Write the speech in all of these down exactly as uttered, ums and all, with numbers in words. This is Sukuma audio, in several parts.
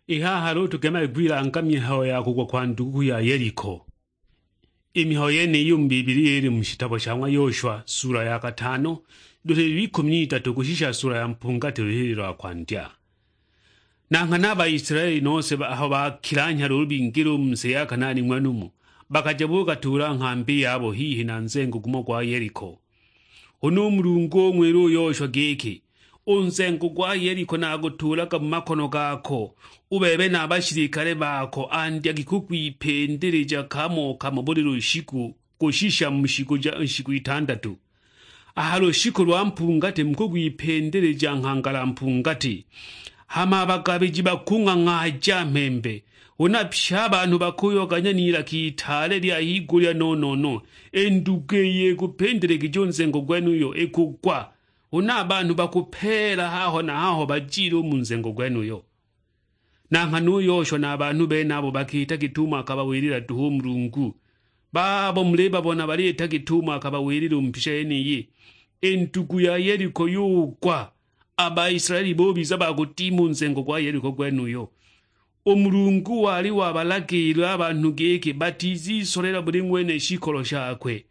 I haha luulu tugemage kwilanga mihayo ya kugwa kwa nduguku ya Yeliko. I mihayo yeniyi u mu Bibilia ili mu shitabo sha ng'wa Yoshwa, sula ya katano, luhililo ikumi n'itatu kushisha sula ya mpungati luhililo lwa kwandya. Na nghana a Baisilaeli nose ba- aho bakilanhya luulu bingila u mu si ya Kanaani ng'wenumo, bakaja bugatuula nghambi yabo hihi na nzengo gumo gwa Yeliko. Huna u Mulungu ung'wila u Yoshwa giki, "U nzengo gwa Yeliko nagutuulaga mu makono gako, u bebe na a bashilikale bako, andyagi kugwipindilija kamo kamo buli lushiku kushisha mu shiku ja nshiku itandatu. A ha lushiku lwa mpungati mukugwipindilija nghangala mpungati." Hama a bagabiji bakung'ang'aaja mhembe, huna pye a banhu bakuyoganya n'ilaka itaale lya higulya no-no-no, i ndugu iyo ikupindiligije u nzengo gwenuyo ikugwa, huna a banhu bakupeela haho na haho bajile u mu nzengo gwenuyo. Na nghana u Yoshwa na a banhu benabo bakiita git'umo akabawilila duhu u Mulungu. Babo mulibabona baliita git'umo akabawilila u mu mbisha yeniyi, i ndugu ya Yeliko yugwa, a Baisilaeli bubiza ba kudima u nzengo gwa Yeliko gwenuyo. U Mulungu wali wabalagiila a banhu giki batizisolela buli ng'wene shikolo shakwe.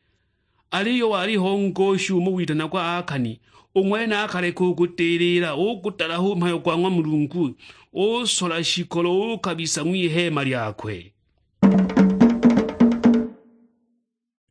Aliyo waliho ngosha umo witanagwa Akani, u ng'wene akaleka u kudilila, ugudalaha u mhayo gwa ng'wa Mulungu, usola shikolo, ukabisa ng'wiheema lyakwe.